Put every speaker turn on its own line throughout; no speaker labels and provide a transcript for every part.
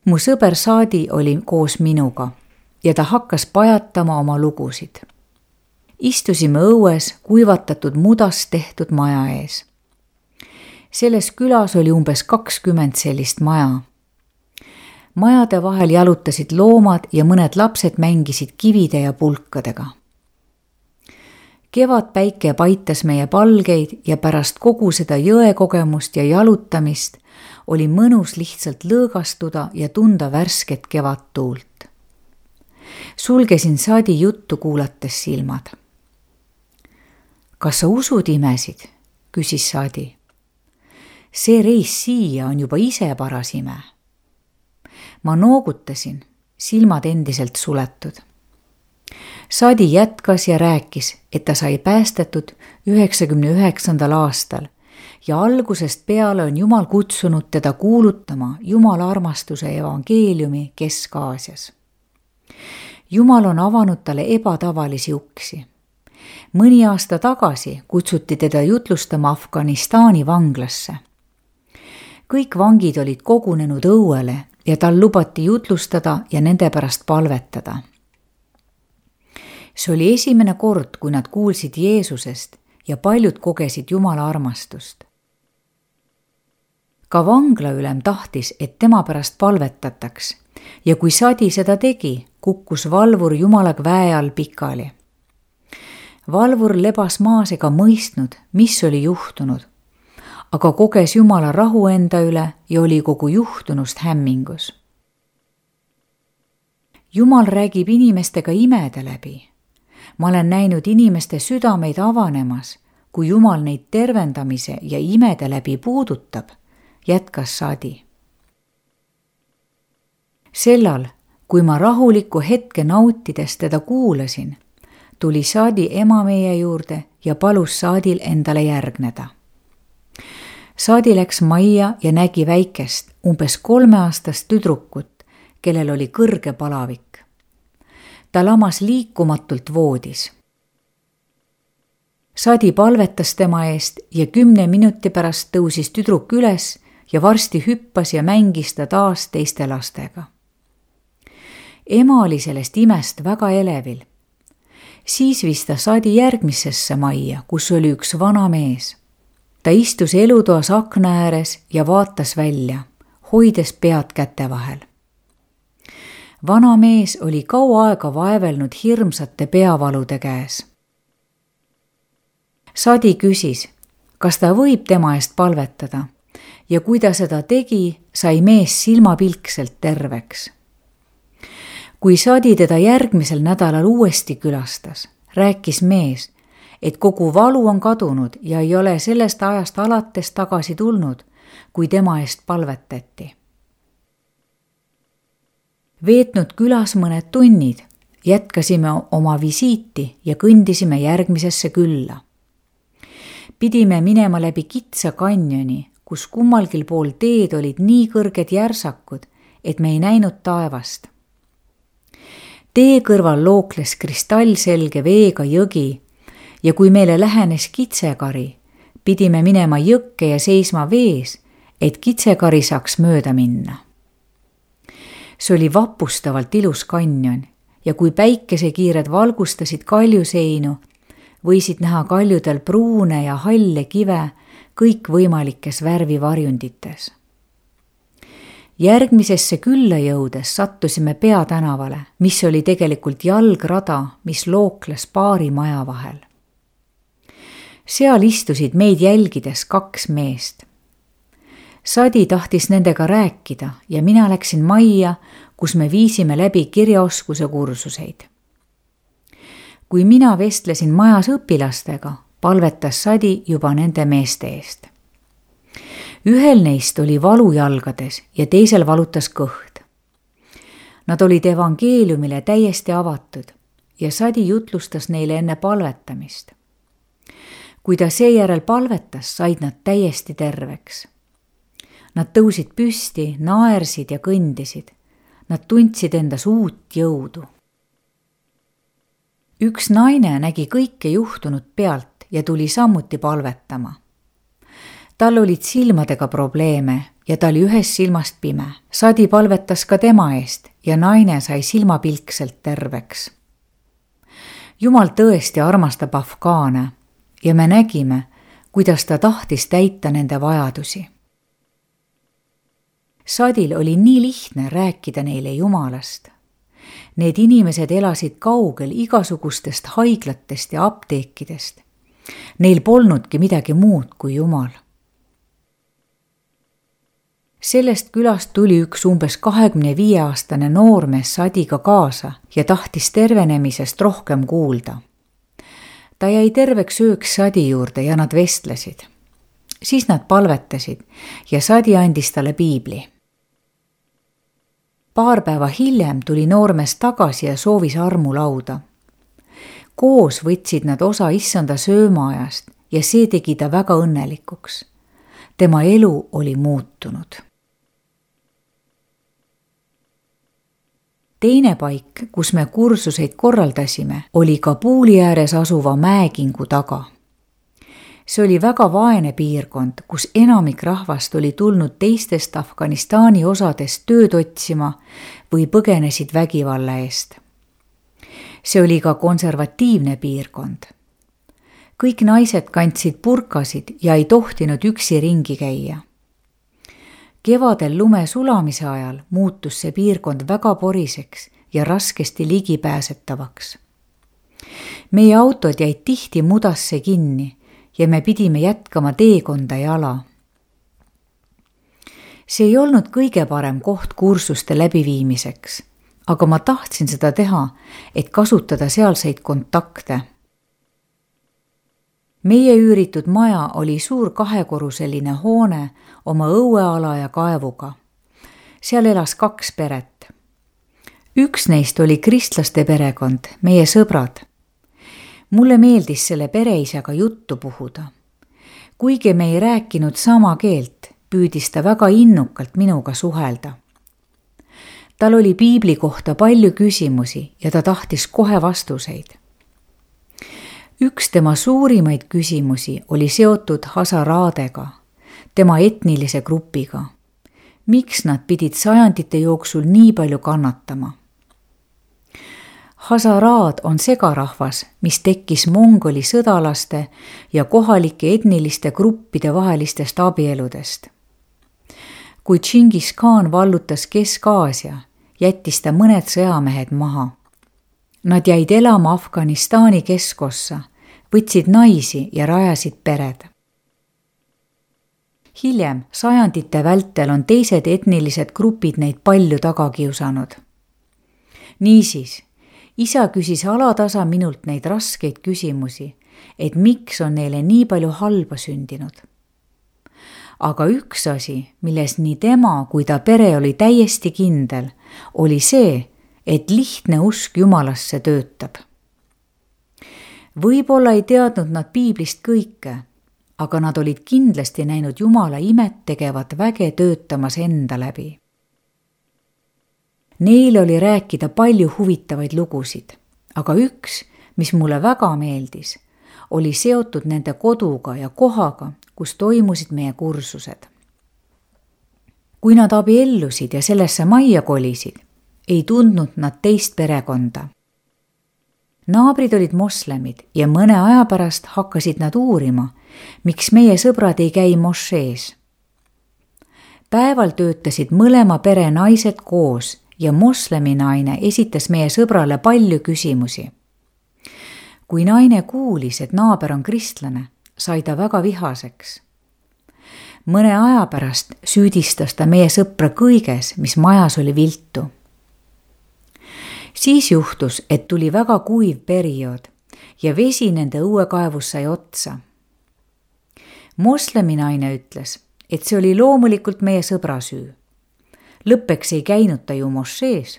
Mu sõber Saadi oli koos minuga ja ta hakkas pajatama oma lugusid. Istusime õues kuivatatud mudast tehtud maja ees. Selles külas oli umbes 20 sellist maja. Majade vahel jalutasid loomad ja mõned lapsed mängisid kivide ja pulkadega. Kevadpäike paitas meie palgeid ja pärast kogu seda jõekogemust ja jalutamist oli mõnus lihtsalt lõõgastuda ja tunda värsket kevadtuult. Sulgesin Saadi juttu kuulates silmad. Kas sa usud imesid? Küsis Saadi. See reis siia on juba ise paras ime. Ma noogutasin, silmad endiselt suletud. Saadi jätkas ja rääkis, et ta sai päästetud 99. aastal ja algusest peale on Jumal kutsunud teda kuulutama Jumala armastuse evangeeliumi Kesk-Aasias. Jumal on avanud talle ebatavalisi uksi. Mõni aasta tagasi kutsuti teda jutlustama Afganistani vanglasse. Kõik vangid olid kogunenud õuele ja tal lubati jutlustada ja nende pärast palvetada. See oli esimene kord, kui nad kuulsid Jeesusest ja paljud kogesid Jumala armastust. Ka vanglaülem tahtis, et tema pärast palvetataks ja kui Saadi seda tegi, kukkus valvur Jumala väe all pikali. Valvur lebas maas ega mõistnud, mis oli juhtunud, aga koges Jumala rahu enda üle ja oli kogu juhtunust hämmingus. Jumal räägib inimestega imede läbi. Ma olen näinud inimeste südameid avanemas, kui Jumal neid tervendamise ja imede läbi puudutab, jätkas Saadi. Sellal, kui ma rahuliku hetke nautides teda kuulasin, tuli Saadi ema meie juurde ja palus Saadil endale järgneda. Saadi läks majja ja nägi väikest, umbes 3-aastast tüdrukut, kellel oli kõrge palavik. Ta lamas liikumatult voodis. Saadi palvetas tema eest ja 10 minuti pärast tõusis tüdruk üles ja varsti hüppas ja mängis ta taas teiste lastega. Ema oli sellest imest väga elevil. Siis viis ta Saadi järgmisesse majja, kus oli üks vana mees. Ta istus elutoas akna ääres ja vaatas välja, hoides pead käte vahel. Vana mees oli kaua aega vaevelnud hirmsate peavalude käes. Saadi küsis, kas ta võib tema eest palvetada ja kui ta seda tegi, sai mees silmapilkselt terveks. Kui Saadi teda järgmisel nädalal uuesti külastas, rääkis mees, et kogu valu on kadunud ja ei ole sellest ajast alates tagasi tulnud, kui tema eest palvetati. Veetnud külas mõned tunnid, jätkasime oma visiiti ja kõndisime järgmisesse külla. Pidime minema läbi kitsa kanjoni, kus kummalgil pool teed olid nii kõrged järsakud, et me ei näinud taevast. Tee kõrval lookles kristallselge veega jõgi ja kui meile lähenes kitsekari, pidime minema jõkke ja seisma vees, et kitsekari saaks mööda minna. See oli vapustavalt ilus kanjon ja kui päikesekiired valgustasid kaljuseinu, võisid näha kaljudel pruune ja halle kive kõikvõimalikes värvivarjundites. Järgmisesse külla jõudes sattusime peatänavale, mis oli tegelikult jalgrada, mis lookles paari maja vahel. Seal istusid meid jälgides 2 meest. Saadi tahtis nendega rääkida ja mina läksin majja, kus me viisime läbi kirjaoskuse kursuseid. Kui mina vestlesin majas õpilastega, palvetas Saadi juba nende meeste eest. Ühel neist oli valu jalgades ja teisel valutas kõht. Nad olid evangeeliumile täiesti avatud ja Saadi jutlustas neile enne palvetamist. Kui ta seejärel palvetas, said nad täiesti terveks. Nad tõusid püsti, naersid ja kõndisid. Nad tundsid endas uut jõudu. Üks naine nägi kõike juhtunud pealt ja tuli samuti palvetama. Tal olid silmadega probleeme ja ta oli ühest silmast pime. Sadi palvetas ka tema eest ja naine sai silmapilkselt terveks. Jumal tõesti armastab afgaane ja me nägime, kuidas ta tahtis täita nende vajadusi. Sadil oli nii lihtne rääkida neile Jumalast. Need inimesed elasid kaugel igasugustest haiglatest ja apteekidest. Neil polnudki midagi muud kui Jumal. Sellest külast tuli üks umbes 25-aastane noormees Sadiga kaasa ja tahtis tervenemisest rohkem kuulda. Ta jäi terveks ööks Sadi juurde ja nad vestlesid. Siis nad palvetasid ja Sadi andis talle piibli. Paar päeva hiljem tuli noormees tagasi ja soovis armulauda. Koos võtsid nad osa issanda söömaajast ja see tegi ta väga õnnelikuks. Tema elu oli muutunud. Teine paik, kus me kursuseid korraldasime, oli Kabuli ääres asuva mäekingu taga. See oli väga vaene piirkond, kus enamik rahvast oli tulnud teistest Afganistani osadest tööd otsima või põgenesid vägivalla eest. See oli ka konservatiivne piirkond. Kõik naised kandsid burkasid ja ei tohtinud üksi ringi käia. Kevadel lume sulamise ajal muutus see piirkond väga poriseks ja raskesti ligipääsetavaks. Meie autod jäid tihti mudasse kinni ja me pidime jätkama teekonda jala. See ei olnud kõige parem koht kursuste läbiviimiseks, aga ma tahtsin seda teha, et kasutada sealseid kontakte. Meie üüritud maja oli suur 2-korruseline hoone oma õueala ja kaevuga. Seal elas 2 peret. Üks neist oli kristlaste perekond, meie sõbrad. Mulle meeldis selle pereisaga juttu puhuda. Kuigi me ei rääkinud sama keelt, püüdis ta väga innukalt minuga suhelda. Tal oli piibli kohta palju küsimusi ja ta tahtis kohe vastuseid. Üks tema suurimaid küsimusi oli seotud Hazaraadega, tema etnilise grupiga. Miks nad pidid sajandite jooksul nii palju kannatama? Hazaraad on segarahvas, mis tekkis mongoli sõdalaste ja kohalike etniliste gruppide vahelistest abieludest. Kui Džingis Khan vallutas Kesk-Aasia, jättis ta mõned sõjamehed maha. Nad jäid elama Afganistani keskossa, võtsid naisi ja rajasid pered. Hiljem, sajandite vältel on teised etnilised grupid neid palju taga kiusanud. Niisiis, isa küsis alatasa minult neid raskeid küsimusi, et miks on neile nii palju halba sündinud. Aga üks asi, milles nii tema kui ta pere oli täiesti kindel, oli see, et lihtne usk Jumalasse töötab. Võib-olla ei teadnud nad piiblist kõike, aga nad olid kindlasti näinud Jumala imet tegevat väge töötamas enda läbi. Neil oli rääkida palju huvitavaid lugusid, aga üks, mis mulle väga meeldis, oli seotud nende koduga ja kohaga, kus toimusid meie kursused. Kui nad abiellusid ja sellesse majja kolisid, ei tundnud nad teist perekonda. Naabrid olid moslemid ja mõne aja pärast hakkasid nad uurima, miks meie sõbrad ei käi mošees. Päeval töötasid mõlema pere naised koos ja moslemi naine esitas meie sõbrale palju küsimusi. Kui naine kuulis, et naaber on kristlane, sai ta väga vihaseks. Mõne aja pärast süüdistas ta meie sõpra kõiges, mis majas oli viltu. Siis juhtus, et tuli väga kuiv periood ja vesi nende õuekaevus sai otsa. Moslemi naine ütles, et see oli loomulikult meie sõbra süü. Lõppeks ei käinud ta ju mošees.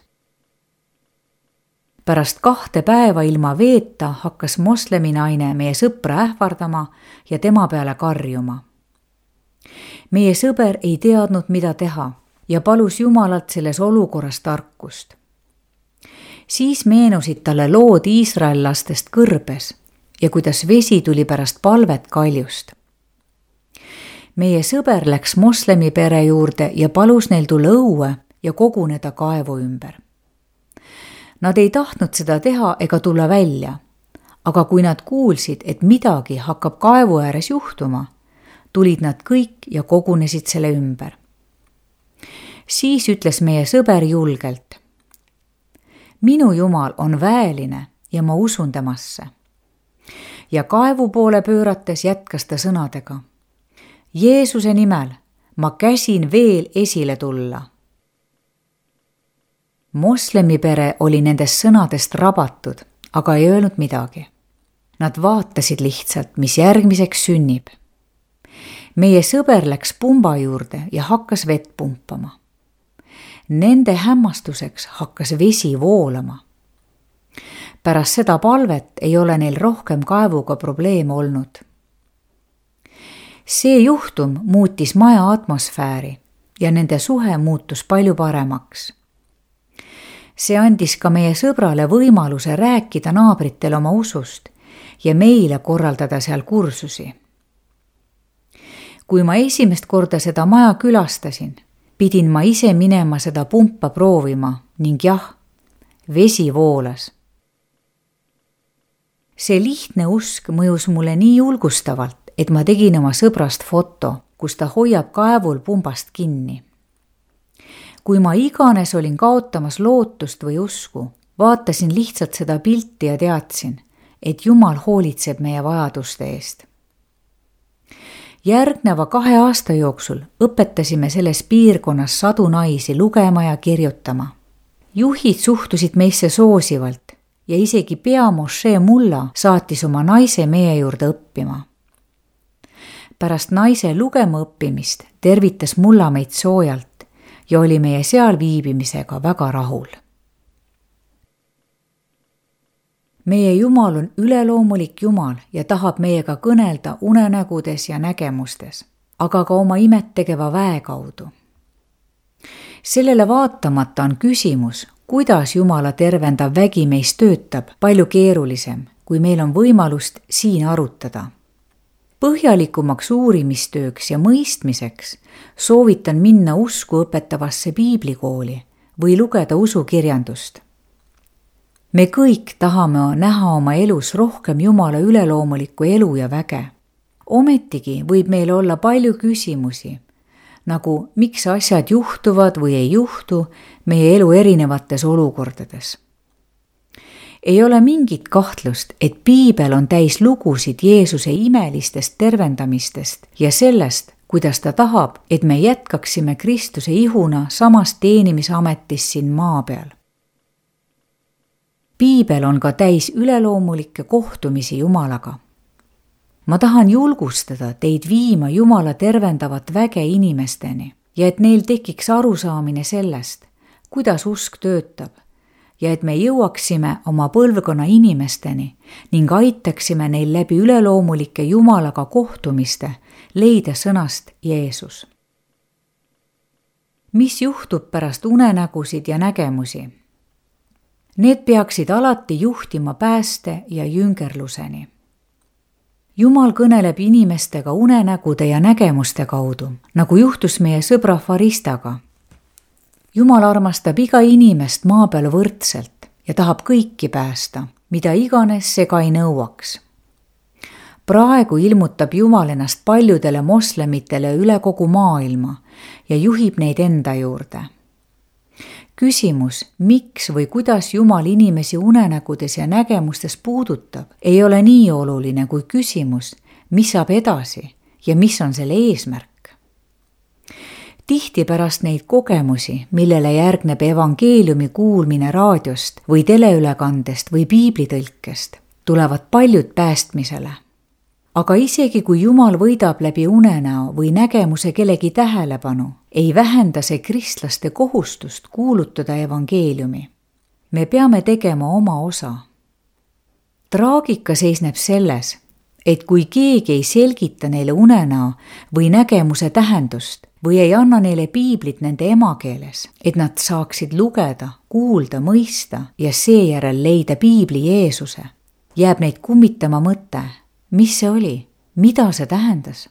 Pärast 2 päeva ilma veeta hakkas moslemi naine meie sõpra ähvardama ja tema peale karjuma. Meie sõber ei teadnud, mida teha ja palus Jumalalt selles olukorras tarkust. Siis meenusid talle lood iisraellastest kõrbes ja kuidas vesi tuli pärast palvet kaljust. meie sõber läks moslemi pere juurde ja palus neil tulla õue ja koguneda kaevu ümber. Nad ei tahtnud seda teha ega tulla välja, aga kui nad kuulsid, et midagi hakkab kaevu ääres juhtuma, tulid nad kõik ja kogunesid selle ümber. Siis ütles meie sõber julgelt: minu Jumal on väeline ja ma usun temasse. Ja kaevu poole pöörates jätkas ta sõnadega: Jeesuse nimel ma käsin veel esile tulla. Moslemi pere oli nendest sõnadest rabatud, aga ei öelnud midagi. Nad vaatasid lihtsalt, mis järgmiseks sünnib. Meie sõber läks pumba juurde ja hakkas vett pumpama. Nende hämmastuseks hakkas vesi voolama. Pärast seda palvet ei ole neil rohkem kaevuga probleeme olnud. See juhtum muutis maja atmosfääri ja nende suhe muutus palju paremaks. See andis ka meie sõbrale võimaluse rääkida naabritele oma usust ja meile korraldada seal kursusi. Kui ma esimest korda seda maja külastasin, pidin ma ise minema seda pumpa proovima ning jah, vesi voolas. See lihtne usk mõjus mulle nii julgustavalt, et ma tegin oma sõbrast foto, kus ta hoiab kaevul pumbast kinni. Kui ma iganes olin kaotamas lootust või usku, vaatasin lihtsalt seda pilti ja teadsin, et Jumal hoolitseb meie vajaduste eest. Järgneva 2 aasta jooksul õpetasime selles piirkonnas sadu naisi lugema ja kirjutama. Juhid suhtusid meisse soosivalt ja isegi peamošee mulla saatis oma naise meie juurde õppima. Pärast naise lugema õppimist tervitas mulla meid soojalt ja oli meie seal viibimisega väga rahul. Meie Jumal on üleloomulik Jumal ja tahab meiega kõnelda unenägudes ja nägemustes, aga ka oma imet tegeva väe kaudu. Sellele vaatamata on küsimus, kuidas Jumala tervendav vägi meis töötab, palju keerulisem, kui meil on võimalust siin arutada. Põhjalikumaks uurimistööks ja mõistmiseks soovitan minna usku õpetavasse piiblikooli või lugeda usukirjandust. Me kõik tahame näha oma elus rohkem Jumala üleloomulikku elu ja väge. Ometigi võib meil olla palju küsimusi, nagu miks asjad juhtuvad või ei juhtu meie elu erinevates olukordades. Ei ole mingit kahtlust, et piibel on täis lugusid Jeesuse imelistest tervendamistest ja sellest, kuidas ta tahab, et me jätkaksime Kristuse ihuna samas teenimisametis siin maa peal. Piibel on ka täis üleloomulikke kohtumisi Jumalaga. Ma tahan julgustada teid viima Jumala tervendavat väge inimesteni ja et neil tekiks arusaamine sellest, kuidas usk töötab ja et me jõuaksime oma põlvkonna inimesteni ning aitaksime neil läbi üleloomulike Jumalaga kohtumiste leida sõnast Jeesus. Mis juhtub pärast unenägusid ja nägemusi? Need peaksid alati juhtima pääste ja jüngerluseni. Jumal kõneleb inimestega unenägude ja nägemuste kaudu, nagu juhtus meie sõbra Faristaga. Jumal armastab iga inimest maa peal võrdselt ja tahab kõiki päästa, mida iganes see ka ei nõuaks. Praegu ilmutab Jumal ennast paljudele moslemitele üle kogu maailma ja juhib neid enda juurde. Küsimus, miks või kuidas Jumal inimesi unenägudes ja nägemustes puudutab, ei ole nii oluline kui küsimus, mis saab edasi ja mis on selle eesmärk. Tihti pärast neid kogemusi, millele järgneb evangeeliumi kuulmine raadiost või teleülekandest või piiblitõlkest, tulevad paljud päästmisele. Aga isegi kui Jumal võidab läbi unenäo või nägemuse kellegi tähelepanu, ei vähenda see kristlaste kohustust kuulutada evangeeliumi. Me peame tegema oma osa. Traagika seisneb selles, et kui keegi ei selgita neile unenäo või nägemuse tähendust või ei anna neile piiblit nende emakeeles, et nad saaksid lugeda, kuulda, mõista ja seejärel leida piibli Jeesuse, jääb neid kummitama mõte, mis see oli, mida see tähendas.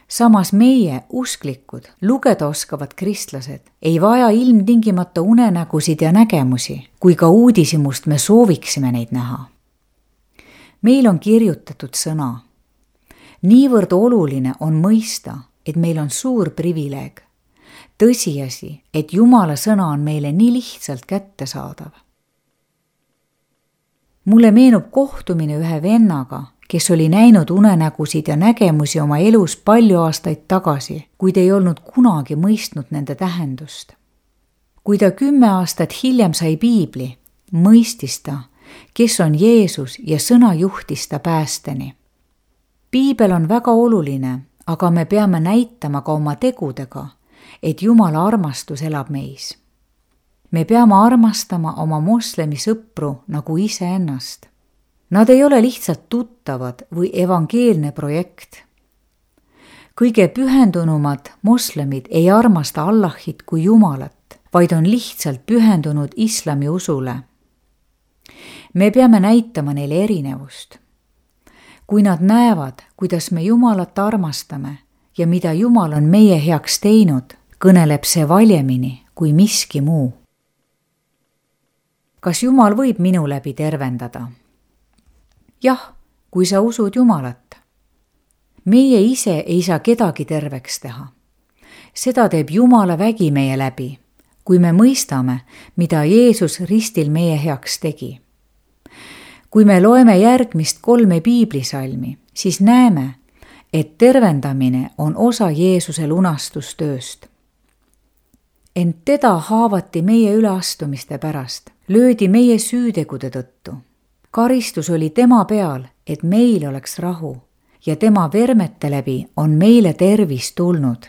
samas meie, usklikud, lugeda oskavad kristlased, ei vaja ilmtingimata unenägusid ja nägemusi, kui ka uudishimust me sooviksime neid näha. Meil on kirjutatud sõna. Niivõrd oluline on mõista, et meil on suur privileeg. Tõsiasi, et Jumala sõna on meile nii lihtsalt kättesaadav. Mulle meenub kohtumine ühe vennaga, kes oli näinud unenägusid ja nägemusi oma elus palju aastaid tagasi, kuid ei olnud kunagi mõistnud nende tähendust. Kui ta 10 aastat hiljem sai piibli, mõistis ta, kes on Jeesus ja sõna juhtis ta päästeni. Piibel on väga oluline, aga me peame näitama ka oma tegudega, et Jumala armastus elab meis. Me peame armastama oma moslemi sõpru nagu iseennast. Nad ei ole lihtsalt tuttavad või evangeelne projekt. Kõige pühendunumad moslemid ei armasta Allahit kui Jumalat, vaid on lihtsalt pühendunud islami usule. Me peame näitama neile erinevust. Kui nad näevad, kuidas me Jumalat armastame ja mida Jumal on meie heaks teinud, kõneleb see valjemini kui miski muu. Kas Jumal võib minu läbi tervendada? Jah, kui sa usud Jumalat. Meie ise ei saa kedagi terveks teha. Seda teeb Jumala vägi meie läbi, kui me mõistame, mida Jeesus ristil meie heaks tegi. Kui me loeme järgmist 3 piiblisalmi, siis näeme, et tervendamine on osa Jeesuse lunastustööst. Ent teda haavati meie üleastumiste pärast, löödi meie süütegude tõttu. Karistus oli tema peal, et meil oleks rahu ja tema vermete läbi on meile tervis tulnud.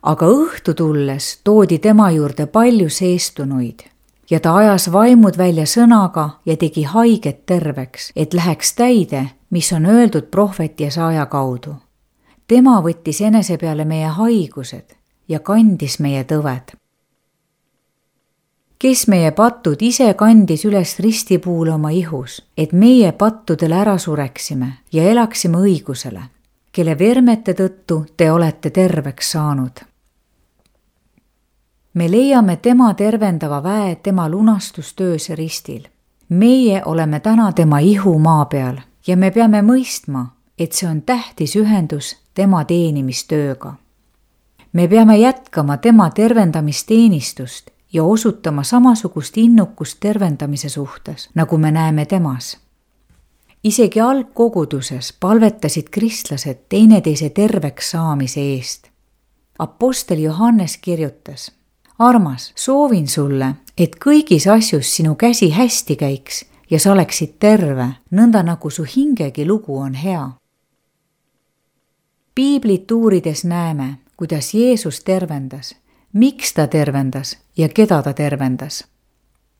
Aga õhtu tulles toodi tema juurde palju seestunuid ja ta ajas vaimud välja sõnaga ja tegi haiget terveks, et läheks täide, mis on öeldud prohvet Jesaja kaudu. Tema võttis enese peale meie haigused ja kandis meie tõved. Kes meie pattud ise kandis üles ristipuule oma ihus, et meie pattudele ära sureksime ja elaksime õigusele, kelle vermete tõttu te olete terveks saanud. Me leiame tema tervendava väe tema lunastustöös ristil. Meie oleme täna tema ihu maa peal ja me peame mõistma, et see on tähtis ühendus tema teenimistööga. Me peame jätkama tema tervendamisteenistust ja osutama samasugust innukust tervendamise suhtes, nagu me näeme temas. Isegi algkoguduses palvetasid kristlased teineteise terveks saamise eest. Apostel Johannes kirjutas: Armas, soovin sulle, et kõigis asjus sinu käsi hästi käiks ja sa oleksid terve, nõnda nagu su hingegi lugu on hea. Piiblit uurides näeme, kuidas Jeesus tervendas, miks ta tervendas ja keda ta tervendas.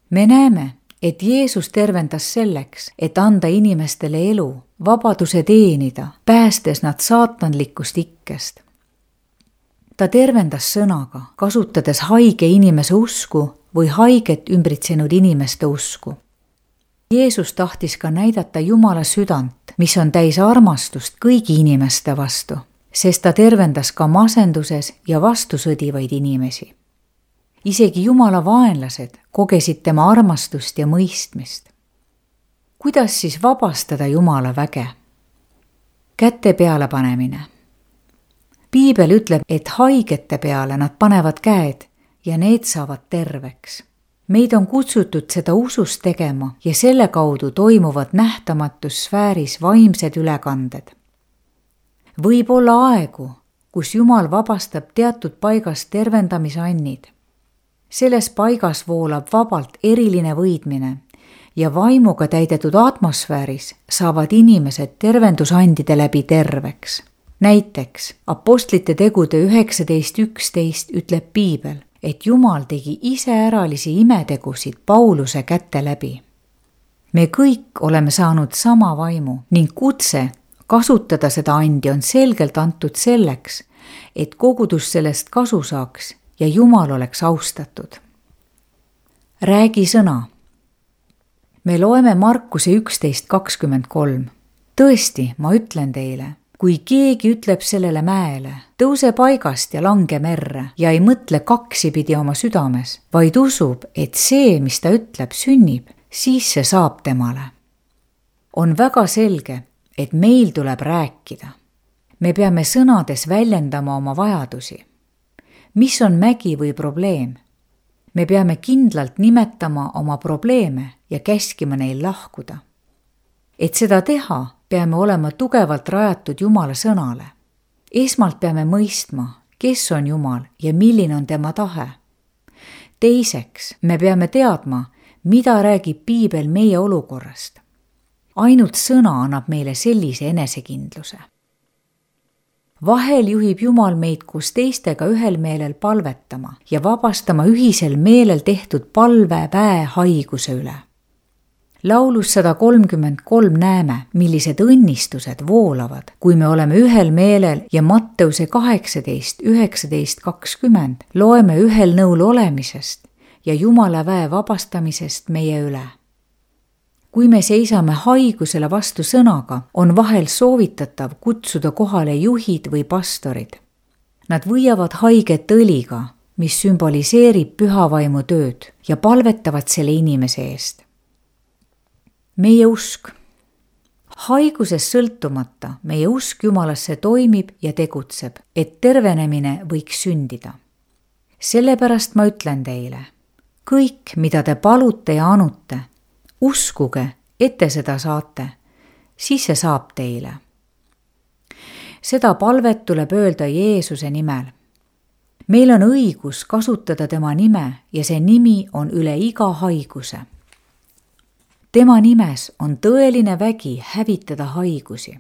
Me näeme, et Jeesus tervendas selleks, et anda inimestele elu, vabaduse teenida, päästes nad saatanlikust ikkest. Ta tervendas sõnaga, kasutades haige inimese usku või haiget ümbritsenud inimeste usku. Jeesus tahtis ka näidata Jumala südant, mis on täis armastust kõigi inimeste vastu, sest ta tervendas ka masenduses ja vastusõdivaid inimesi. Isegi Jumala vaenlased kogesid tema armastust ja mõistmist. Kuidas siis vabastada Jumala väge? Käte peale panemine. Piibel ütleb, et haigete peale nad panevad käed ja need saavad terveks. Meid on kutsutud seda usust tegema ja selle kaudu toimuvad nähtamatus sfääris vaimsed ülekanded. Võib olla aegu, kus Jumal vabastab teatud paigast tervendamisannid. Selles paigas voolab vabalt eriline võidmine ja vaimuga täidetud atmosfääris saavad inimesed tervendusandide läbi terveks. Näiteks Apostlite tegude 19.11 ütleb Piibel, et Jumal tegi iseäralisi imetegusid Pauluse käte läbi. Me kõik oleme saanud sama vaimu ning kutse kasutada seda andi on selgelt antud selleks, et kogudus sellest kasu saaks ja Jumal oleks austatud. Räägi sõna. Me loeme Markuse 11.23. Tõesti, ma ütlen teile, kui keegi ütleb sellele mäele, tõuse paigast ja lange merre ja ei mõtle kaksipidi oma südames, vaid usub, et see, mis ta ütleb, sünnib, siis see saab temale. On väga selge, et meil tuleb rääkida. Me peame sõnades väljendama oma vajadusi. Mis on mägi või probleem? Me peame kindlalt nimetama oma probleeme ja käskima neil lahkuda. Et seda teha, peame olema tugevalt rajatud Jumala sõnale. Esmalt peame mõistma, kes on Jumal ja milline on tema tahe. Teiseks, me peame teadma, mida räägib Piibel meie olukorrast. Ainult sõna annab meile sellise enesekindluse. Vahel juhib Jumal meid koos teistega ühel meelel palvetama ja vabastama ühisel meelel tehtud palveväe haiguse üle. Laulus 133 näeme, millised õnnistused voolavad, kui me oleme ühel meelel ja Matteuse 18, 19, 20 loeme ühel nõul olemisest ja Jumala väe vabastamisest meie üle. Kui me seisame haigusele vastu sõnaga, on vahel soovitatav kutsuda kohale juhid või pastorid. Nad võiavad haiget õliga, mis sümboliseerib pühavaimu tööd ja palvetavad selle inimese eest. Meie usk. Haigusest sõltumata meie usk Jumalasse toimib ja tegutseb, et tervenemine võiks sündida. Sellepärast ma ütlen teile, kõik, mida te palute ja anute, uskuge, et te seda saate, siis see saab teile. Seda palvet tuleb öelda Jeesuse nimel. Meil on õigus kasutada tema nime ja see nimi on üle iga haiguse. Tema nimes on tõeline vägi hävitada haigusi.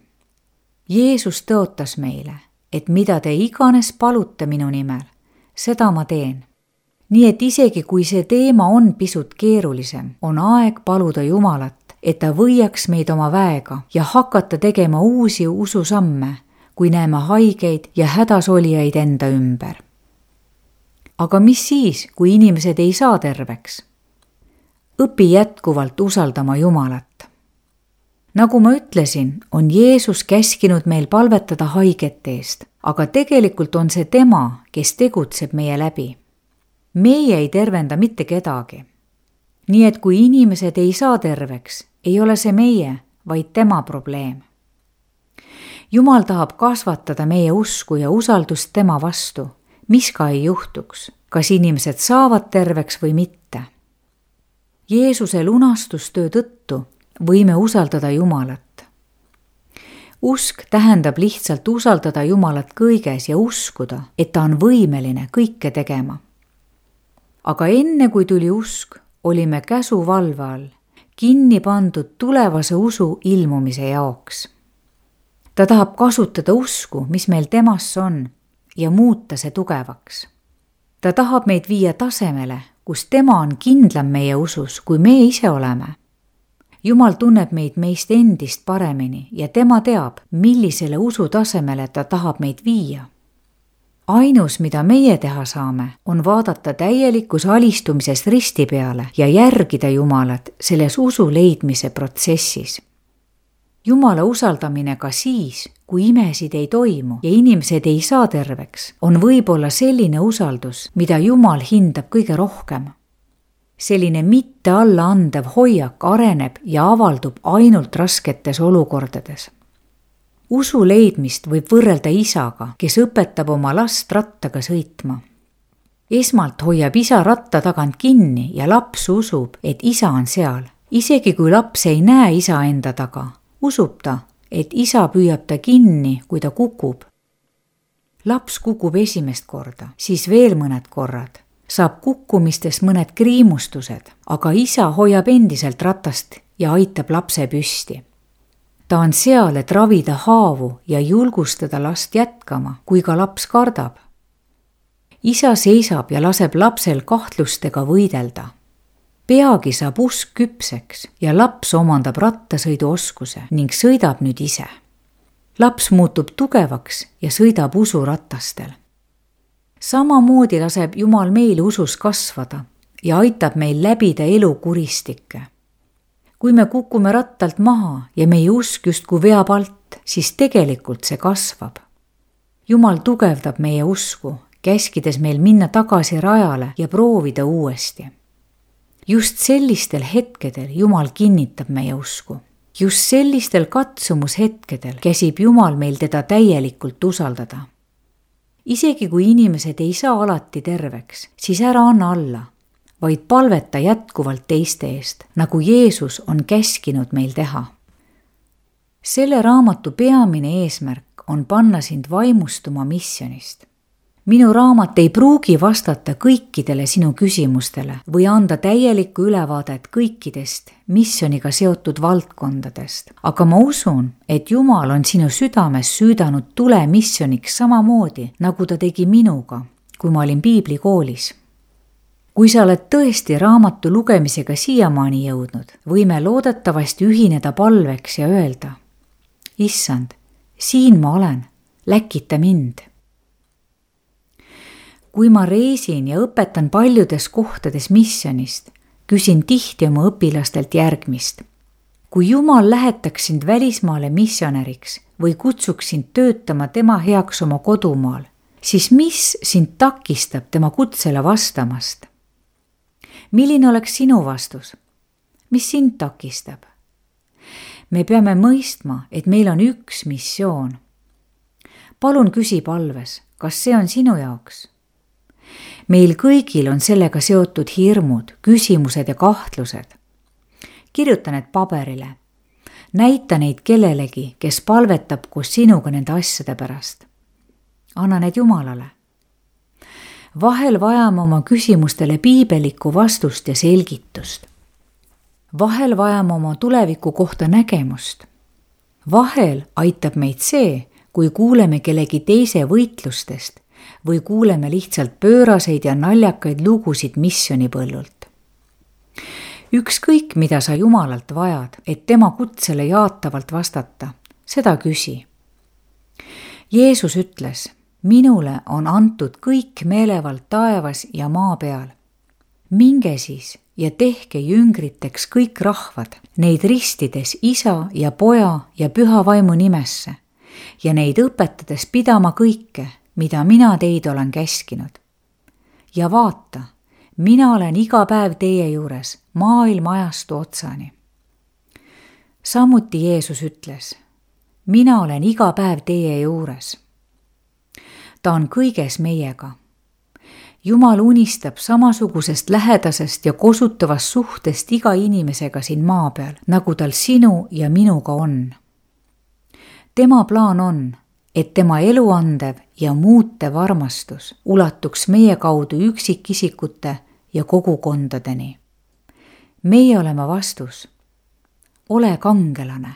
Jeesus tõotas meile, et mida te iganes palute minu nimel, seda ma teen. Nii et isegi kui see teema on pisut keerulisem, on aeg paluda Jumalat, et ta võiaks meid oma väega ja hakata tegema uusi ususamme, kui näeme haigeid ja hädasolijaid enda ümber. Aga mis siis, kui inimesed ei saa terveks? Õpi jätkuvalt usaldama Jumalat. Nagu ma ütlesin, on Jeesus käskinud meil palvetada haigete eest, aga tegelikult on see tema, kes tegutseb meie läbi. Meie ei tervenda mitte kedagi. Nii et kui inimesed ei saa terveks, ei ole see meie, vaid tema probleem. Jumal tahab kasvatada meie usku ja usaldust tema vastu, mis ka ei juhtuks, kas inimesed saavad terveks või mitte. Jeesuse lunastustöö tõttu võime usaldada Jumalat. Usk tähendab lihtsalt usaldada Jumalat kõiges ja uskuda, et ta on võimeline kõike tegema. Aga enne kui tuli usk, olime käsuvalve all, kinni pandud tulevase usu ilmumise jaoks. Ta tahab kasutada usku, mis meil temasse on, ja muuta see tugevaks. Ta tahab meid viia tasemele, kus tema on kindlam meie usus, kui me ise oleme. Jumal tunneb meid meist endist paremini ja tema teab, millisele usutasemele ta tahab meid viia. Ainus, mida meie teha saame, on vaadata täielikus alistumises risti peale ja järgida Jumalat selles usu leidmise protsessis. Jumala usaldamine ka siis, kui imesid ei toimu ja inimesed ei saa terveks, on võib-olla selline usaldus, mida Jumal hindab kõige rohkem. Selline mitte alla andev hoiak areneb ja avaldub ainult rasketes olukordades. Usu leidmist võib võrrelda isaga, kes õpetab oma last rattaga sõitma. Esmalt hoiab isa ratta tagant kinni ja laps usub, et isa on seal. Isegi kui laps ei näe isa enda taga, usub ta, et isa püüab ta kinni, kui ta kukub. Laps kukub esimest korda, siis veel mõned korrad. Saab kukkumistest mõned kriimustused, aga isa hoiab endiselt ratast ja aitab lapse püsti. Ta on seal, et ravida haavu ja julgustada last jätkama, kui ka laps kardab. Isa seisab ja laseb lapsel kahtlustega võidelda. Peagi saab usk küpseks ja laps omandab rattasõiduoskuse ning sõidab nüüd ise. Laps muutub tugevaks ja sõidab usuratastel. Samamoodi laseb Jumal meil usus kasvada ja aitab meil läbida elu kuristikke. Kui me kukume rattalt maha ja meie usk justkui veab alt, siis tegelikult see kasvab. Jumal tugevdab meie usku, käskides meil minna tagasi rajale ja proovida uuesti. Just sellistel hetkedel Jumal kinnitab meie usku. Just sellistel katsumushetkedel käsib Jumal meil teda täielikult usaldada. Isegi kui inimesed ei saa alati terveks, siis ära anna alla, vaid palveta jätkuvalt teiste eest, nagu Jeesus on käskinud meil teha. Selle raamatu peamine eesmärk on panna sind vaimustuma missionist. Minu raamat ei pruugi vastata kõikidele sinu küsimustele või anda täielikku ülevaadet kõikidest missioniga seotud valdkondadest, aga ma usun, et Jumal on sinu südames süüdanud tule missioniks samamoodi, nagu ta tegi minuga, kui ma olin piiblikoolis. Kui sa oled tõesti raamatu lugemisega siiamaani jõudnud, võime loodetavasti ühineda palveks ja öelda: Issand, siin ma olen, läkita mind. Kui ma reisin ja õpetan paljudes kohtades missionist, küsin tihti oma õpilastelt järgmist. Kui Jumal lähetaks sind välismaale missionäriks või kutsuks sind töötama tema heaks oma kodumaal, siis mis sind takistab tema kutsele vastamast? Milline oleks sinu vastus? Mis sind takistab? Me peame mõistma, et meil on üks missioon. Palun küsi palves, kas see on sinu jaoks? Meil kõigil on sellega seotud hirmud, küsimused ja kahtlused. Kirjuta need paberile. Näita neid kellelegi, kes palvetab koos sinuga nende asjade pärast. Anna need Jumalale. Vahel vajame oma küsimustele piibelikku vastust ja selgitust. Vahel vajame oma tuleviku kohta nägemust. Vahel aitab meid see, kui kuuleme kellegi teise võitlustest või kuuleme lihtsalt pööraseid ja naljakaid lugusid missionipõllult. Ükskõik, mida sa Jumalalt vajad, et tema kutsele jaatavalt vastata, seda küsi. Jeesus ütles: minule on antud kõik meelevald taevas ja maa peal. Minge siis ja tehke jüngriteks kõik rahvad, neid ristides Isa ja Poja ja Püha Vaimu nimesse ja neid õpetades pidama kõike, mida mina teid olen käskinud. Ja vaata, mina olen iga päev teie juures maailma ajastu otsani. Samuti Jeesus ütles: mina olen iga päev teie juures. Ta on kõiges meiega. Jumal unistab samasugusest lähedasest ja kosutavast suhtest iga inimesega siin maa peal, nagu tal sinu ja minuga on. Tema plaan on, et tema eluandev ja muutev armastus ulatuks meie kaudu üksikisikute ja kogukondadeni. Meie oleme vastus. Ole kangelane.